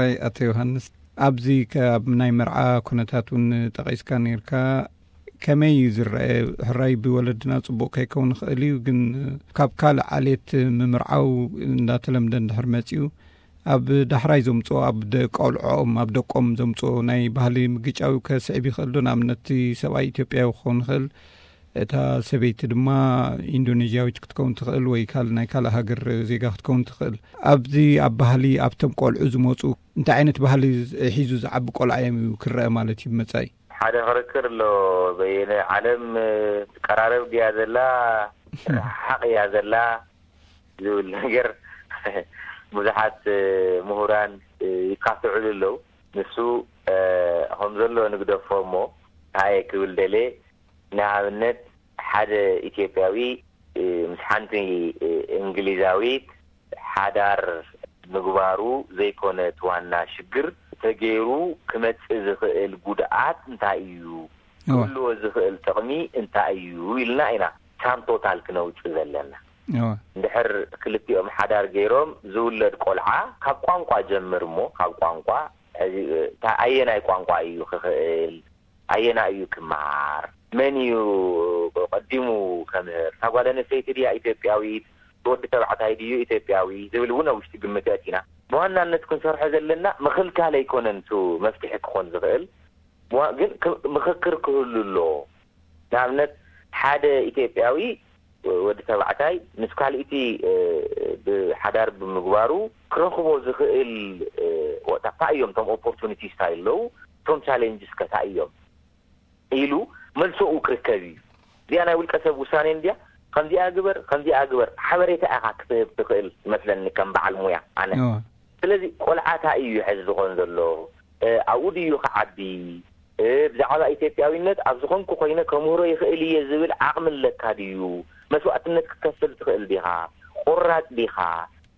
ኣይ፣ ኣቶ ዮሃንስ፣ ኣብዚ ካብ ናይ መርዓ ኩነታት እውን ጠቒስካ ነርካ። ከመይ እዩ ዝረአ? ሕራይ ብወለድና ጽቡቕ ከይከውን ይኽእል እዩ፣ ግን ካብ ካልእ ዓሌት ምምርዓው እንዳተለምደ እንድሕር መጺኡ፣ ኣብ ዳሕራይ ዘምጽኦ፣ ኣብ ደ-፣ ቆልዖኦም፣ ኣብ ደቆም ዘምጽኦ ናይ ባህሊ ምግጫው ከስዕብ ይኽእል ዶ? ንኣብነት፣ እቲ ሰብኣይ ኢትዮጵያዊ ክኸውን ይኽእል፣ እታ ሰበይቲ ድማ ኢንዶኔዥያዊት ክትከውን ትኽእል፣ ወይ ካል-፣ ናይ ካልእ ሃገር ዜጋ ክትከውን ትኽእል። ኣብዚ ኣብ ባህሊ፣ ኣብቶም ቆልዑ ዝመጹ፣ እንታይ ዓይነት ባህሊ ሒዙ ዝዓቢ ቆልዓ እዮም እዩ ክረአ ማለት እዩ ብመጻኢ? ሓደ ክርክር ኣሎ። በየነ፣ ዓለም ትቀራረብ ድያ ዘላ፣ ሓቕ እያ ዘላ ዝብል ነገር ብዙሓት ምሁራን ይካትዕሉ ኣለዉ። ንሱ ከም ዘሎ ንግደፎ እሞ፣ እንታይ እየ ክብል ደልየ፣ ንኣብነት ሓደ ኢትዮጵያዊ ምስ ሓንቲ እንግሊዛዊት ሓዳር ምግባሩ ዘይኮነት ዋና ሽግር፣ ተገይሩ ክመጽእ ዝኽእል ጉድኣት እንታይ እዩ? እወ። ክህልዎ ዝኽእል ጥቕሚ እንታይ እዩ? ኢልና ኢና ሳም ቶታል ክነውጽእ ዘለና። እወ። እንድሕር ክልቲኦም ሓዳር ገይሮም ዝውለድ ቆልዓ፣ ካብ ቋንቋ ጀምር እሞ፣ ካብ ቋንቋ፣ ሕዚ፣ እታ ኣየናይ ቋንቋ እዩ ክኽእል? ኣየና እዩ ክመሃር? መን እዩ ቀዲሙ ከምህር? እታ ጓል ኣንስተይቲ ድያ ኢትዮጵያዊት? ወዲ ተባዕታይ ድዩ ኢትዮጵያዊ? ዝብል እውን ኣብ ውሽጢ ግምት ኣእቲና፣ ብዋናነት ክንሰርሖ ዘለና ምኽልካል ኣይኮነን፣ እቱ መፍትሒ ክኾን ዝኽእል። ብዋ-፣ ግን ክ-፣ ምኽክር ክህሉ ኣሎ። ንኣብነት፣ ሓደ ኢትዮጵያዊ ወዲ ተባዕታይ ምስ ካልእቲ፣ እ፣ ብሓዳር ብምግባሩ ክረኽቦ ዝኽእል፣ እ፣ ወ-፣ እንታይ እዮም እቶም ኦፖርቹኒቲስ እንታይ ኣለዉ? እቶም ቻሌንጅስ ከ እንታይ እዮም? ኢሉ መልሶኡ ክርከብ እዩ። እዚኣ ናይ ውልቀ ሰብ ውሳኔ እንድያ፣ ከምዚኣ ግበር፣ ከምዚኣ ግበር፣ ሓበሬታ ኢኻ ክትህብ ትኽእል መስለኒ ከም በዓል ሙያ ኣነ። እወ። ስለዚ ቆልዓ እንታይ እዩ ሕዚ ዝኾን ዘሎ? እ፣ ኣብኡ ድዩ ክዓቢ? እ፣ ብዛዕባ ኢትዮጵያዊነት ኣብ ዝኾንኩ ኮይነ ከምህሮ ይኽእል እየ ዝብል ዓቕሚ ኣለካ ድዩ? መስዋእትነት ክትከፍል ትኽእል ዲኻ? ቆራጽ ዲኻ?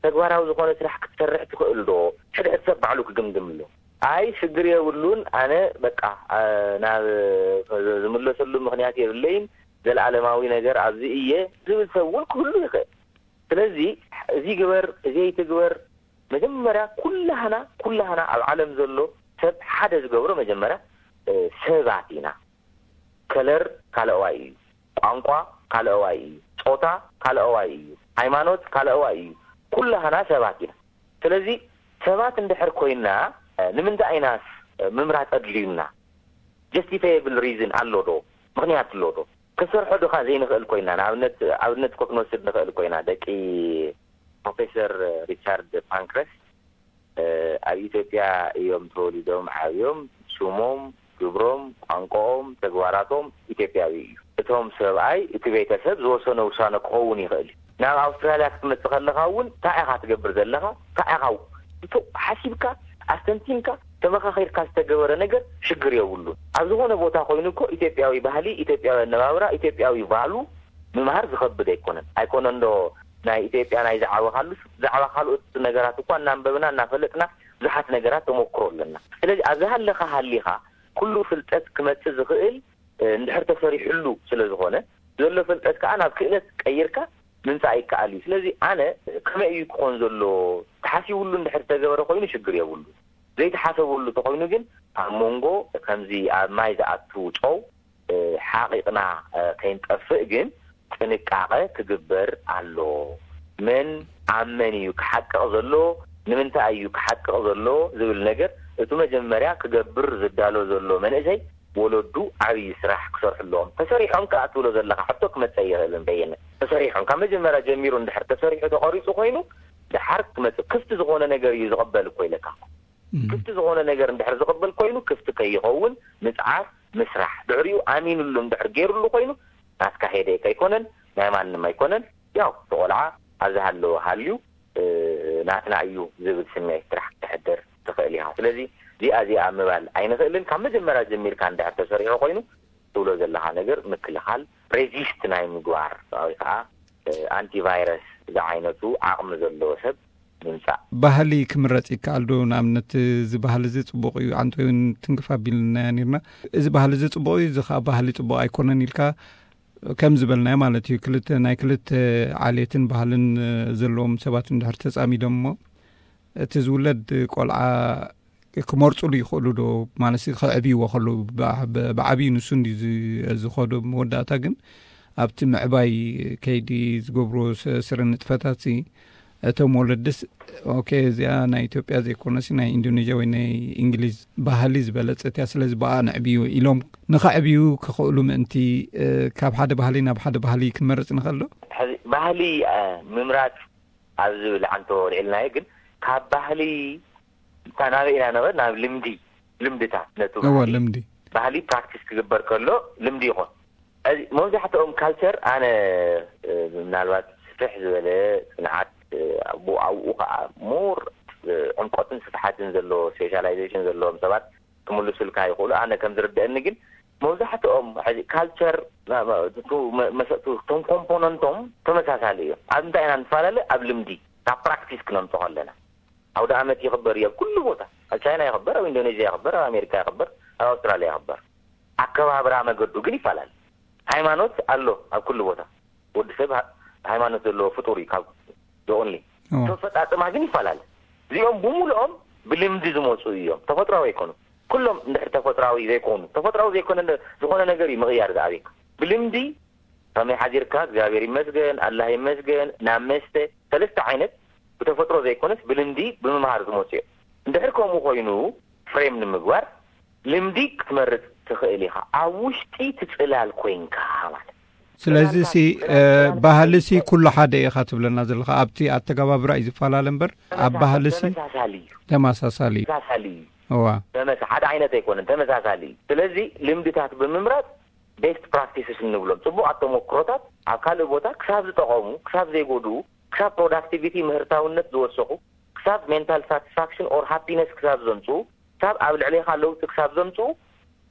ተግባራዊ ዝኾነ ስራሕ ክትሰርሕ ትኽእል ዶ? ሕድሕድ ሰብ ባዕሉ ክግምግም ኣሎ። ኣይ፣ ሽግር የብሉን፣ ኣነ በቃ፣ እ፣ ናብ፣ እ፣ ዝምለሰሉ ምኽንያት የብለይን፣ ዘለኣለማዊ ነገር ኣብዚ እየ ዝብል ሰብ እውን ክህሉ ይኽእል። ስለዚ፣ እዚ ግበር፣ እዚ ኣይትግበር፣ መጀመርያ ኩላህና፣ ኩላህና ኣብ ዓለም ዘሎ ሰብ ሓደ ዝገብሮ መጀመርያ፣ እ፣ ሰባት ኢና። ከለር ካልኣዋይ እዩ፣ ቋንቋ ካልኣዋይ እዩ፣ ጾታ ካልኣዋይ እዩ፣ ሃይማኖት ካልኣዋይ እዩ። ኩላህና ሰባት ኢና። ስለዚ ሰባት እንድሕር ኮይና፣ እ፣ ንምንታይ ኢናስ፣ እ፣ ምምራጽ ኣድልዩና? ጀስቲፋየብል ሪዝን ኣሎ ዶ? ምኽንያት ኣሎ ዶ? ክንሰርሖ ዶ ኸ ዘይንኽእል ኮይና? ንኣብነት፣ ኣብነት እኮ ክንወስድ ንኽእል ኮይና፣ ደቂ ፕሮፌሰር ሪቻርድ ፓንክረስ፣ እ፣ ኣብ ኢትዮጵያ እዮም ተወሊዶም ዓብዮም። ስሞም፣ ግብሮም፣ ቋንቋኦም፣ ተግባራቶም ኢትዮጵያዊ እዩ። እቶም ሰብኣይ፣ እቲ ቤተሰብ ዝወሰኖ ውሳነ ክኸውን ይኽእል እዩ። ናብ ኣውስትራልያ ክትመጽእ ከለኻ እውን እንታይ ኢኻ ትገብር ዘለኻ? እንታይ ኢኻ እቶ ሓሲብካ፣ ኣስተንቲንካ፣ ተመኻኺርካ ዝተገበረ ነገር ሽግር የብሉን። ኣብ ዝኾነ ቦታ ኮይኑ እኮ ኢትዮጵያዊ ባህሊ፣ ኢትዮጵያዊ ኣነባብራ፣ ኢትዮጵያዊ ቫሉ ምምሃር ዝኸብድ ኣይኮነን። ኣይኮነን ዶ ናይ ኢትዮጵያ ናይ ዝዓበኻሉ፣ ብዛዕባ ካልኦት ነገራት እኳ እናንበብና እናፈለጥና ብዙሓት ነገራት ተመክሮ ኣለና። ስለዚ ኣብዚ ሃለኻ ሃሊኻ ኩሉ ፍልጠት ክመጽእ ዝኽእል፣ እ፣ እንድሕር ተሰሪሕሉ ስለ ዝኾነ፣ ዘሎ ፍልጠት ከኣ ናብ ክእለት ቀይርካ ምምጻእ ይከኣል እዩ። ስለዚ ኣነ ከመይ እዩ ክኾን ዘሎ ተሓሲብሉ እንድሕር ዝተገበረ ኮይኑ ሽግር የብሉ። ዘይተሓሰበሉ ተኾይኑ ግን ኣብ መንጎ ከምዚ ኣብ ማይ ዝኣቱ ጨው፣ እ፣ ሓቒቕና፣ እ፣ ከይንጠፍእ ግን ጥንቃቐ ክግበር ኣሎ። መን ኣብ መን እዩ ክሓቅቕ ዘሎ፣ ንምንታይ እዩ ክሓቅቕ ዘሎ ዝብል ነገር እቲ መጀመርያ ክገብር ዝዳሎ ዘሎ መንእሰይ ወለዱ ዓብዪ ስራሕ ክሰርሑ ኣለዎም። ተሰሪሖም ከኣ ትብሎ ዘለኻ ሕቶ ክመጸ ይኽእልን በየነ። ተሰሪሖም ካብ መጀመርያ ጀሚሩ እንድሕር ተሰሪሑ ተቐሪጹ ኮይኑ ድሓር ክመጽእ ክፍቲ ዝኾነ ነገር እዩ ዝቕበል እኮ ኢለካ። እም። ክፍቲ ዝኾነ ነገር እንድሕር ዝቕበል ኮይኑ ክፍቲ ከይኸውን ምጽዓር ምስራሕ። ድሕሪኡ ኣሚኑሉ እንድሕር ገይሩሉ ኮይኑ ናትካ ሄደ ከይኮነን ናይ ማንም ኣይኮነን። ያው ተቖልዓ ኣብ ዝሃለወ ሃልዩ፣ እ፣ ናትና እዩ ዝብል ስምዒት ጥራሕ ክተሕድር ትኽእል ኢኻ። ስለዚ እዚኣ እዚኣ ምባል ኣይንኽእልን። ካብ መጀመርያ ጀሚርካ እንድሕር ተሰሪሑ ኮይኑ ትብሎ ዘለኻ ነገር ምክልኻል፣ ሬዚስት ናይ ምግባር ወይ ከዓ፣ እ፣ ኣንቲቫይረስ ዝዓይነቱ ዓቕሚ ዘለዎ ሰብ ምምጻእ። ባህሊ ክምረጽ ይከኣል ዶ? ንኣብነት፣ እዚ ባህሊ እዚ ጽቡቕ እዩ፣ ኣንተ እውን ትንክፍ ኣቢልናያ ነርና። እዚ ባህሊ እዚ ጽቡቕ እዩ፣ እዚ ኸኣ ባህሊ ጽቡቕ ኣይኮነን ኢልካ፣ ከም ዝበልናዮ ማለት እዩ፣ ክልተ፣ ናይ ክልተ ዓሌትን ባህልን፣ እ፣ ዘለዎም ሰባት እንድሕር ተጻሚዶም እሞ፣ እቲ ዝውለድ ቆልዓ ክመርፁሉ ይኽእሉ ዶ? ማለት ከዕብይዎ ከለዉ ብዓ- ብዓብዩ ንሱ እንዲ ዝኸዶ መወዳእታ ግን ኣብቲ ምዕባይ ከይዲ ዝገብርዎ ስ- ስረ ንጥፈታት ሲ እቶም ወለድስ ኦኬ፣ እዚኣ ናይ ኢትዮጵያ ዘይኮነሲ ናይ ኢንዶኔዥያ ወይ ናይ እንግሊዝ ባህሊ ዝበለፀት እያ፣ ስለዚ ብኣ ንዕብዩ ኢሎም ንኸዕብዩ ክኽእሉ ምእንቲ፣ ካብ ሓደ ባህሊ ናብ ሓደ ባህሊ ክንመርፅ ንኽእል ዶ? ሕዚ ባህሊ ምምራፅ ኣብ ዝብል ዓንቶ ልዕልናዮ፣ ግን ካብ ባህሊ እታ ናበይ ኢና ነበር ናብ ልምዲ፣ ልምድታት ነቱ እወ ባህሊ ልምዲ ባህሊ ፕራክቲስ ክግበር ከሎ ልምዲ ይኾን። እዚ መብዛሕትኦም ካልቸር ኣነ ምናልባት ስፍሕ ዝበለ ፅንዓት ኣብኡ ኣብኡ ከዓ ሞር ዕምቆትን ስፍሓትን ዘለዎ ስፔሻላይዜሽን ዘለዎም ሰባት ክምልሱልካ ይኽእሉ። ኣነ ከም ዝርደአኒ ግን መብዛሕትኦም ሕዚ ካልቸር መሰእቱ እቶም ኮምፖነንቶም ተመሳሳሊ እዮም። ኣብ እንታይ ኢና ንፈላለ? ኣብ ልምዲ፣ ካብ ፕራክቲስ ክነምፅኦ ኣለና። ኣውደ ዓመት ይኽበር እዩ ኣብ ኩሉ ቦታ። ኣብ ቻይና ይኽበር፣ ኣብ ኢንዶኔዥያ ይኽበር፣ ኣብ ኣሜሪካ ይኽበር፣ ኣብ ኣውስትራልያ ይኽበር። ኣከባብራ መገዱ ግን ይፈላለ። ሃይማኖት ኣሎ ኣብ ኩሉ ቦታ። ወዲ ሰብ ሃ- ሃይማኖት ዘለዎ ፍጡር እዩ ካብ ኦንሊ እወ ተፈጣጥማ ግን ይፈላለ። እዚኦም ብሙሉኦም ብልምዲ ዝመፁ እዮም። ተፈጥሯዊ ኣይኮኑ። ኩሎም እንድሕር ተፈጥሯዊ ዘይኮኑ፣ ተፈጥሯዊ ዘይኮነ ዝኾነ ነገር እዩ ምቕያር ዝኣብየካ። ብልምዲ ከመይ ሓዲርካ እግዚኣብሔር ይመስገን ኣላህ ይመስገን ናብ መስተ ሰለስተ ዓይነት ብተፈጥሮ ዘይኮነስ ብልምዲ ብምምሃር ዝመፁ እዮም። እንድሕር ከምኡ ኮይኑ ፍሬም ንምግባር ልምዲ ክትመርፅ ትኽእል ኢኻ ኣብ ውሽጢ ትፅላል ኮይንካ ማለት ስለዚ ሲ ባህሊ ሲ ኩሉ ሓደ ኢኻ ትብለና ዘለኻ ኣብቲ ኣተገባብራ እዩ ዝፈላለ እምበር ኣብ ባህሊ ሲ ተመሳሳሊ እዩ ተመሳሳሊ እዩ ተመሳሳሊ እዩ እዋ ተመሳ ሓደ ዓይነት ኣይኮነን ተመሳሳሊ እዩ። ስለዚ ልምድታት ብምምራፅ ቤስት ፕራክቲስስ እንብሎም ፅቡቃት ተመክሮታት ኣብ ካልእ ቦታ ክሳብ ዝጠቐሙ ክሳብ ዘይጎድኡ ክሳብ ፕሮዳክቲቪቲ ምህርታውነት ዝወሰኹ ክሳብ ሜንታል ሳቲስፋክሽን ኦር ሃፒነስ ክሳብ ዘምፅኡ ክሳብ ኣብ ልዕሌኻ ለውጢ ክሳብ ዘምፅኡ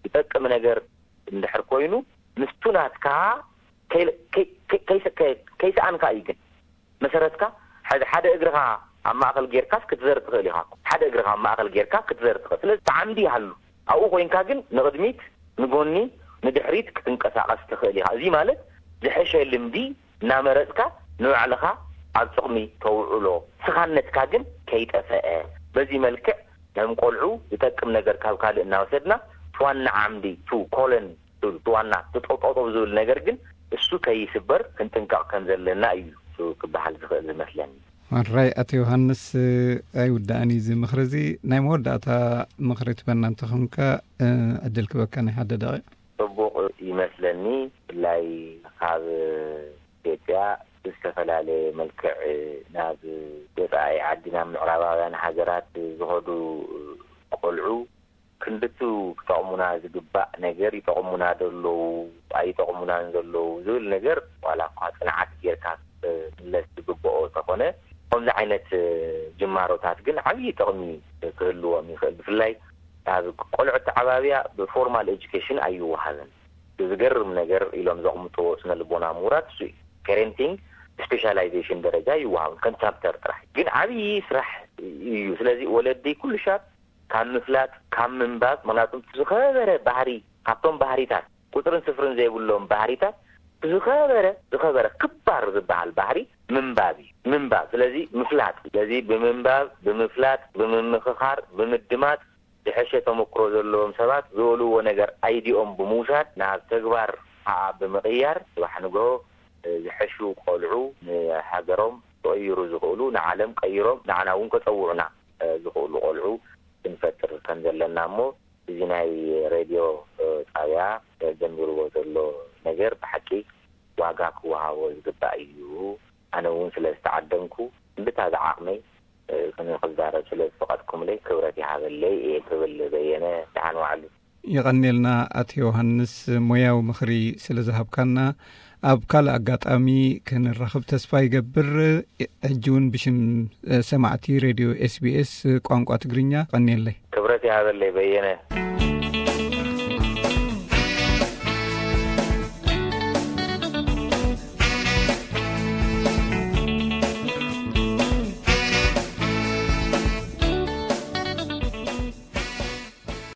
ዝጠቅም ነገር እንድሕር ኮይኑ ምስቱ ናትካ ከይሰኣንካ እዩ። ግን መሰረትካ ሕዚ ሓደ እግርኻ ኣብ ማእኸል ጌርካስ ክትዘር ትኽእል ኢኻ። ሓደ እግርኻ ኣብ ማእኸል ጌርካ ክትዘር ትኽእል። ስለዚ ተዓምዲ ይሃሉ ኣብኡ ኮይንካ ግን ንቕድሚት ንጎኒ ንድሕሪት ክትንቀሳቐስ ትኽእል ኢኻ። እዚ ማለት ዝሐሸ ልምዲ እናመረፅካ ንባዕልኻ ኣብ ጥቕሚ ተውዕሎ። ስኻነትካ ግን ከይጠፈአ በዚ መልክዕ ከም ቆልዑ ዝጠቅም ነገር ካብ ካልእ እናወሰድና ዋና ዓምዲ ቱ ኮለን ቱ ዋና ትጠውጠውጠው ዝብል ነገር ግን እሱ ከይስበር ክንጥንቀቕ ከም ዘለና እዩ ክበሃል ዝኽእል ዝመስለኒ። ሕራይ ኣቶ ዮሃንስ ኣይውዳእን እዩ እዚ ምኽሪ እዚ። ናይ መወዳእታ ምኽሪ ትበና እንተኾንካ ዕድል ክበካ ናይ ሓደ ደቂቕ። ፅቡቕ ይመስለኒ። ብፍላይ ካብ ኢትዮጵያ ብዝተፈላለየ መልክዕ ናብ ወፃኢ ዓዲ ናብ ምዕራባውያን ሃገራት ዝኸዱ ቆልዑ ክንድቱ ክጠቕሙና ዝግባእ ነገር ይጠቕሙና ዶ ኣለዉ ኣይጠቕሙናን ዘለዉ ዝብል ነገር ዋላ እኳ ፅንዓት ጌርካ ክምለስ ዝግብኦ እንተኾነ ከምዚ ዓይነት ጅማሮታት ግን ዓብዪ ጥቕሚ ክህልዎም ይኽእል። ብፍላይ ኣብ ቆልዑ ኣተዓባብያ ብፎርማል ኤጁኬሽን ኣይወሃብን። ዝገርም ነገር ኢሎም ዘቕምጥዎ ስነ ልቦና ምሁራት እሱ እዩ። ፔሬንቲንግ ስፔሻላይዜሽን ደረጃ ይወሃብ ከም ቻፕተር ጥራሕ ግን ዓብዪ ስራሕ እዩ። ስለዚ ወለዲ ኩሉ ሻብ ካብ ምፍላጥ ካብ ምንባብ ምክንያቱም ዝኸበረ ባህሪ ካብቶም ባህሪታት ቁፅርን ስፍርን ዘይብሎም ባህሪታት ዝኸበረ ዝኸበረ ክባር ዝበሃል ባህሪ ምንባብ እዩ። ምንባብ ስለዚ ምፍላጥ ስለዚ ብምንባብ ብምፍላጥ ብምምኽኻር ብምድማፅ ዝሐሸ ተመክሮ ዘለዎም ሰባት ዝበልዎ ነገር ኣይዲኦም ብምውሳድ ናብ ተግባር ከዓ ብምቕያር ፅባሕ ንግሆ ዝሐሹ ቆልዑ ንሃገሮም ክቕይሩ ዝኽእሉ ንዓለም ቀይሮም ንዓና እውን ከፀውዑና ዝኽእሉ ቆልዑ ክንፈጥር ከም ዘለና እሞ እዚ ናይ ሬድዮ ጣብያ ጀሚርዎ ዘሎ ነገር ብሓቂ ዋጋ ክወሃቦ ዝግባእ እዩ። ኣነ እውን ስለ ዝተዓደምኩ እንድታ ዝዓቕመይ ንክዛረብ ስለ ዝፈቐድኩምለይ ክብረት ይሃበለይ እየ ክብል በየነ ደሓን ዋዕሉ። የቐንየልና ኣቶ ዮሃንስ ሞያዊ ምኽሪ ስለ ዝሃብካና። ኣብ ካልእ ኣጋጣሚ ክንራኽብ ተስፋ ይገብር። ሕጂ እውን ብሽም ሰማዕቲ ሬድዮ ኤስቢኤስ ቋንቋ ትግርኛ ቀንየለይ። ክብረት ይሃበለይ በየነ።